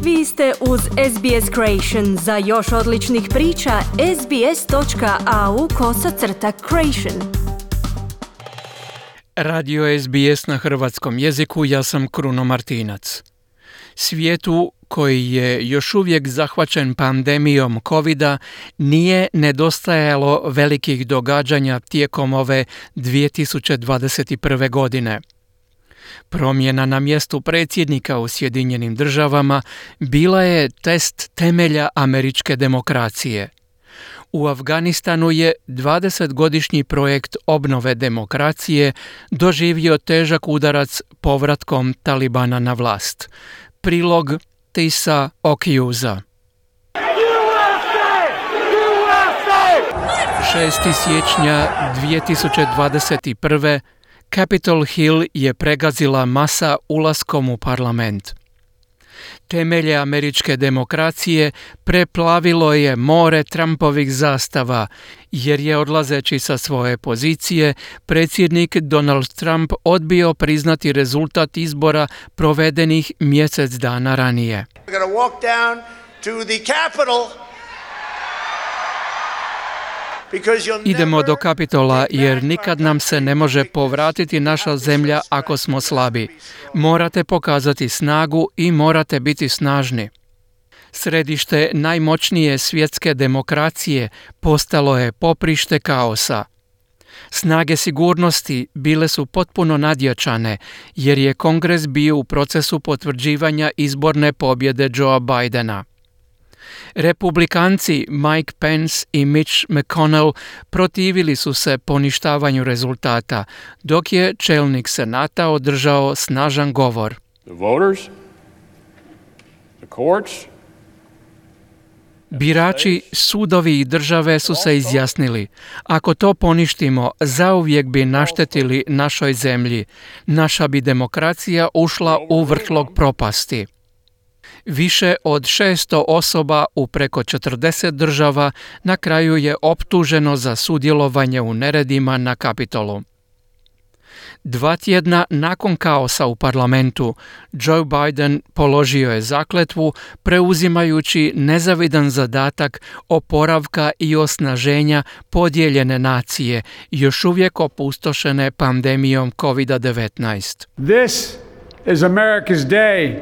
Vi ste uz SBS Creation. Za još odličnih priča, sbs.au/creation. Radio SBS na hrvatskom jeziku, ja sam Kruno Martinac. Svijetu koji je još uvijek zahvaćen pandemijom covida nije nedostajalo velikih događanja tijekom ove 2021. godine. Promjena na mjestu predsjednika u Sjedinjenim državama bila je test temelja američke demokracije. U Afganistanu je 20-godišnji projekt obnove demokracije doživio težak udarac povratkom Talibana na vlast. Prilog Tisa Okjuza. 6. siječnja 2021. Capitol Hill je pregazila masa ulaskom u parlament. Temelje američke demokracije preplavilo je more Trumpovih zastava, jer je odlazeći sa svoje pozicije predsjednik Donald Trump odbio priznati rezultat izbora provedenih mjesec dana ranije. Idemo do Kapitola jer nikad nam se ne može povratiti naša zemlja ako smo slabi. Morate pokazati snagu i morate biti snažni. Središte najmoćnije svjetske demokracije postalo je poprište kaosa. Snage sigurnosti bile su potpuno nadjačane jer je Kongres bio u procesu potvrđivanja izborne pobjede Joea Bidena. Republikanci Mike Pence i Mitch McConnell protivili su se poništavanju rezultata, dok je čelnik Senata održao snažan govor. Birači, sudovi i države su se izjasnili. Ako to poništimo, zauvijek bi naštetili našoj zemlji. Naša bi demokracija ušla u vrtlog propasti. Više od 600 osoba u preko 40 država na kraju je optuženo za sudjelovanje u neredima na Kapitolu. 2 tjedna nakon kaosa u parlamentu, Joe Biden položio je zakletvu preuzimajući nezavidan zadatak oporavka i osnaženja podijeljene nacije, još uvijek opustošene pandemijom COVID-19. This is America's day.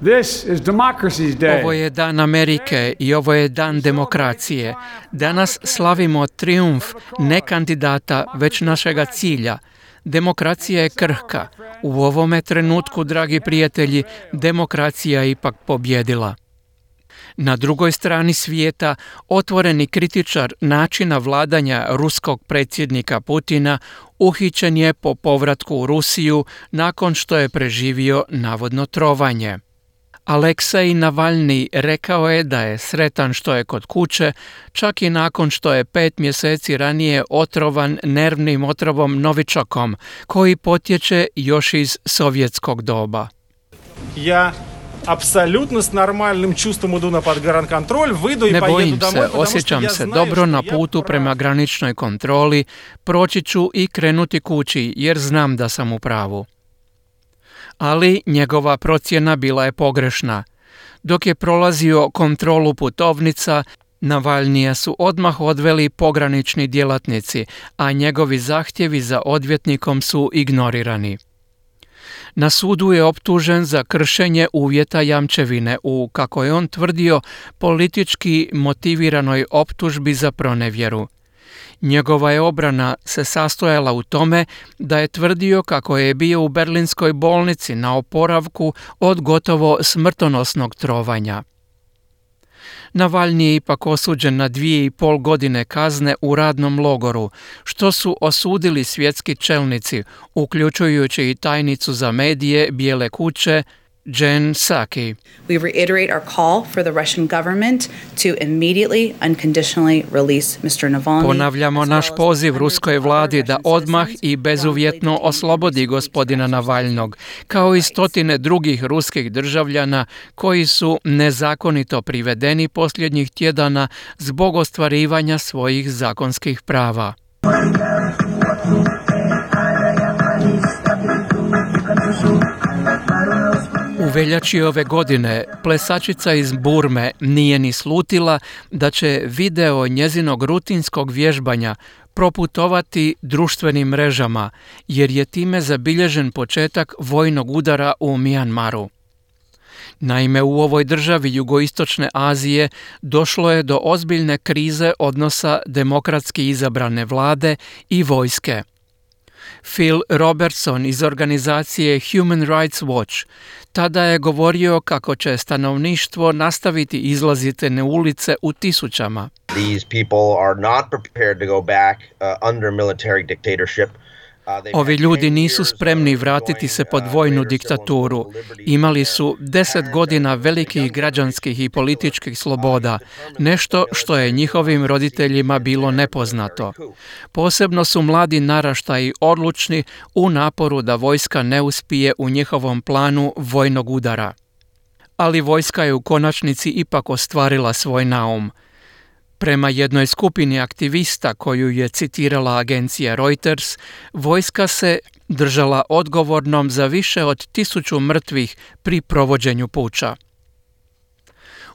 This is democracy's day. Ovo je dan Amerike i ovo je dan demokracije. Danas slavimo trijumf ne kandidata, već našega cilja. Demokracija je krhka. U ovome trenutku, dragi prijatelji, demokracija je ipak pobjedila. Na drugoj strani svijeta, otvoreni kritičar načina vladanja ruskog predsjednika Putina uhićen je po povratku u Rusiju nakon što je preživio navodno trovanje. Aleksej Navalni rekao je da je sretan što je kod kuće, čak i nakon što je 5 mjeseci ranije otrovan nervnim otrovom Novičokom, koji potječe još iz sovjetskog doba. Ja apsolutno s normalnim čustvom idu na podgranični vyjdu i ne pojedu bojim domov. se, osjećam se dobro na putu prema graničnoj kontroli, proći ću i krenuti kući jer znam da sam u pravu. Ali njegova procjena bila je pogrešna. Dok je prolazio kontrolu putovnica, Navalnija su odmah odveli pogranični djelatnici, a njegovi zahtjevi za odvjetnikom su ignorirani. Na sudu je optužen za kršenje uvjeta jamčevine u, kako je on tvrdio, politički motiviranoj optužbi za pronevjeru. Njegova je obrana se sastojala u tome da je tvrdio kako je bio u berlinskoj bolnici na oporavku od gotovo smrtonosnog trovanja. Navalni je ipak osuđen na 2,5 godine kazne u radnom logoru, što su osudili svjetski čelnici, uključujući i tajnicu za medije Bijele kuće Jen Psaki. We reiterate our call for the Russian government to immediately, unconditionally release Mr. Navalny. Ponavljamo naš poziv ruskoj vladi da odmah i bezuvjetno oslobodi gospodina Navalnog, kao i stotine drugih ruskih državljana koji su nezakonito privedeni posljednjih tjedana zbog ostvarivanja svojih zakonskih prava. U veljači ove godine plesačica iz Burme nije ni slutila da će video njezinog rutinskog vježbanja proputovati društvenim mrežama, jer je time zabilježen početak vojnog udara u Mijanmaru. Naime, u ovoj državi jugoistočne Azije došlo je do ozbiljne krize odnosa demokratski izabrane vlade i vojske. Phil Robertson iz organizacije Human Rights Watch tada je govorio kako će stanovništvo nastaviti izlaziti na ulice u tisućama. These people are not prepared to go back under military dictatorship. Ovi ljudi nisu spremni vratiti se pod vojnu diktaturu. Imali su 10 godina velikih građanskih i političkih sloboda, nešto što je njihovim roditeljima bilo nepoznato. Posebno su mladi naraštaji odlučni u naporu da vojska ne uspije u njihovom planu vojnog udara. Ali vojska je u konačnici ipak ostvarila svoj naum. Prema jednoj skupini aktivista koju je citirala agencija Reuters, vojska se držala odgovornom za više od 1000 mrtvih pri provođenju puča.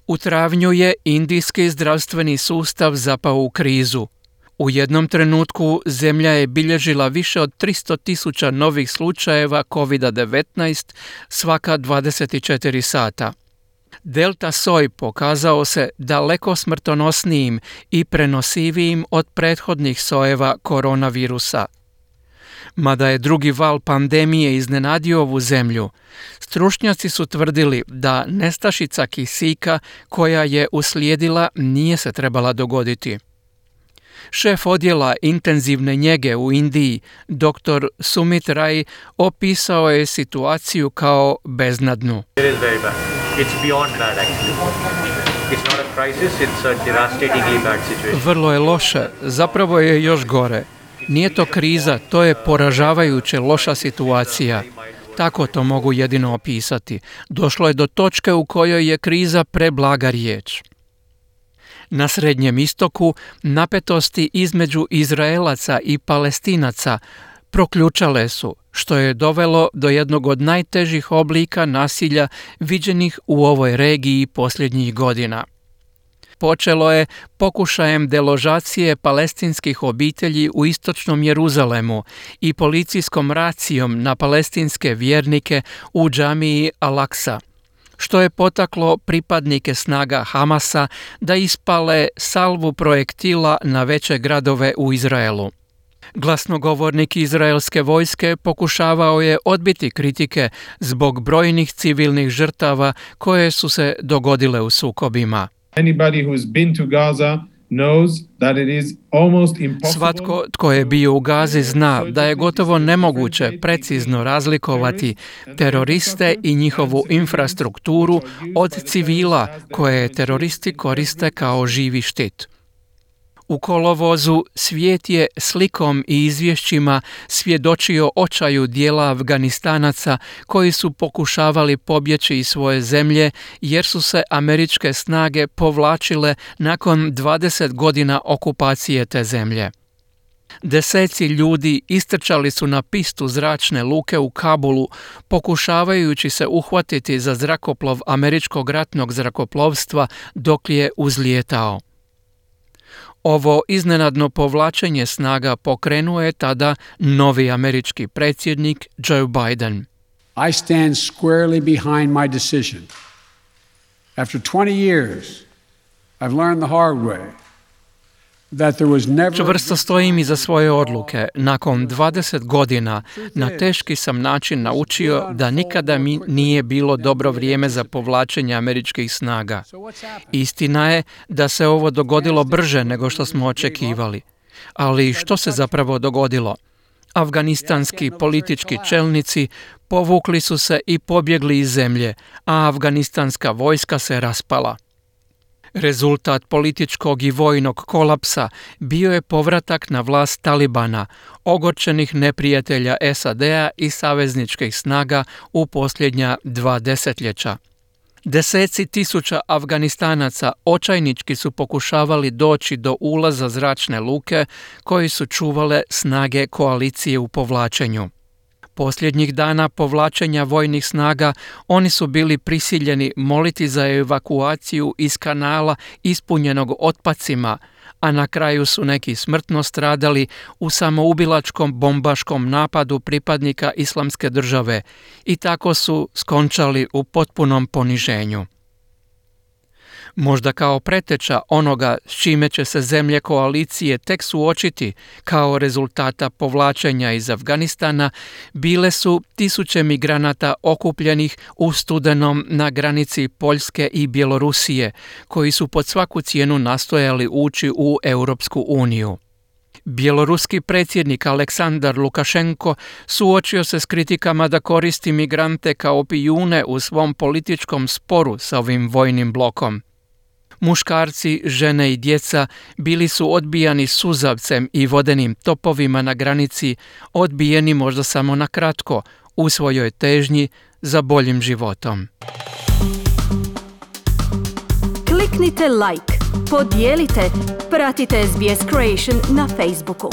U travnju je indijski zdravstveni sustav zapao u krizu. U jednom trenutku zemlja je bilježila više od 300.000 novih slučajeva COVID-19 svaka 24 sata. Delta soj pokazao se daleko smrtonosnijim i prenosivijim od prethodnih sojeva koronavirusa. Mada je drugi val pandemije iznenadio ovu zemlju, stručnjaci su tvrdili da nestašica kisika koja je uslijedila nije se trebala dogoditi. Šef odjela intenzivne njege u Indiji, dr. Sumit Rai, opisao je situaciju kao beznadnu. Vrlo je loše, zapravo je još gore. Nije to kriza, to je poražavajuće loša situacija. Tako to mogu jedino opisati. Došlo je do točke u kojoj je kriza preblaga riječ. Na Srednjem istoku napetosti između Izraelaca i Palestinaca proključale su, što je dovelo do jednog od najtežih oblika nasilja viđenih u ovoj regiji posljednjih godina. Počelo je pokušajem deložacije palestinskih obitelji u istočnom Jeruzalemu i policijskom racijom na palestinske vjernike u džamiji Al-Aqsa, što je potaklo pripadnike snaga Hamasa da ispale salvu projektila na veće gradove u Izraelu. Glasnogovornik izraelske vojske pokušavao je odbiti kritike zbog brojnih civilnih žrtava koje su se dogodile u sukobima. Svatko tko je bio u Gazi zna da je gotovo nemoguće precizno razlikovati teroriste i njihovu infrastrukturu od civila koje teroristi koriste kao živi štit. U kolovozu svijet je slikom i izvješćima svjedočio očaju dijela Afganistanaca koji su pokušavali pobjeći iz svoje zemlje jer su se američke snage povlačile nakon 20 godina okupacije te zemlje. Deseci ljudi istrčali su na pistu zračne luke u Kabulu pokušavajući se uhvatiti za zrakoplov američkog ratnog zrakoplovstva dok je uzlijetao. Ovo iznenadno povlačenje snaga pokrenuo je tada novi američki predsjednik Joe Biden. I stand squarely behind my decision. After 20 years, I've learned the hard way. Čvrsto stojim iza svoje odluke. Nakon 20 godina na teški sam način naučio da nikada mi nije bilo dobro vrijeme za povlačenje američkih snaga. Istina je da se ovo dogodilo brže nego što smo očekivali. Ali što se zapravo dogodilo? Afganistanski politički čelnici povukli su se i pobjegli iz zemlje, a afganistanska vojska se raspala. Rezultat političkog i vojnog kolapsa bio je povratak na vlast Talibana, ogorčenih neprijatelja SAD-a i savezničkih snaga u posljednja 2 desetljeća. Deseci tisuća Afganistanaca očajnički su pokušavali doći do ulaza zračne luke koji su čuvale snage koalicije u povlačenju. Posljednjih dana povlačenja vojnih snaga oni su bili prisiljeni moliti za evakuaciju iz kanala ispunjenog otpacima, a na kraju su neki smrtno stradali u samoubilačkom bombaškom napadu pripadnika Islamske države i tako su skončali u potpunom poniženju. Možda kao preteča onoga s čime će se zemlje koalicije tek suočiti kao rezultata povlačenja iz Afganistana, bile su tisuće migranata okupljenih u studenom na granici Poljske i Bjelorusije, koji su pod svaku cijenu nastojali ući u Europsku uniju. Bjeloruski predsjednik Aleksandar Lukašenko suočio se s kritikama da koristi migrante kao pijune u svom političkom sporu sa ovim vojnim blokom. Muškarci, žene i djeca bili su odbijani suzavcem i vodenim topovima na granici, odbijeni možda samo na kratko u svojoj težnji za boljim životom. Kliknite like, podijelite, pratite SBS Creation na Facebooku.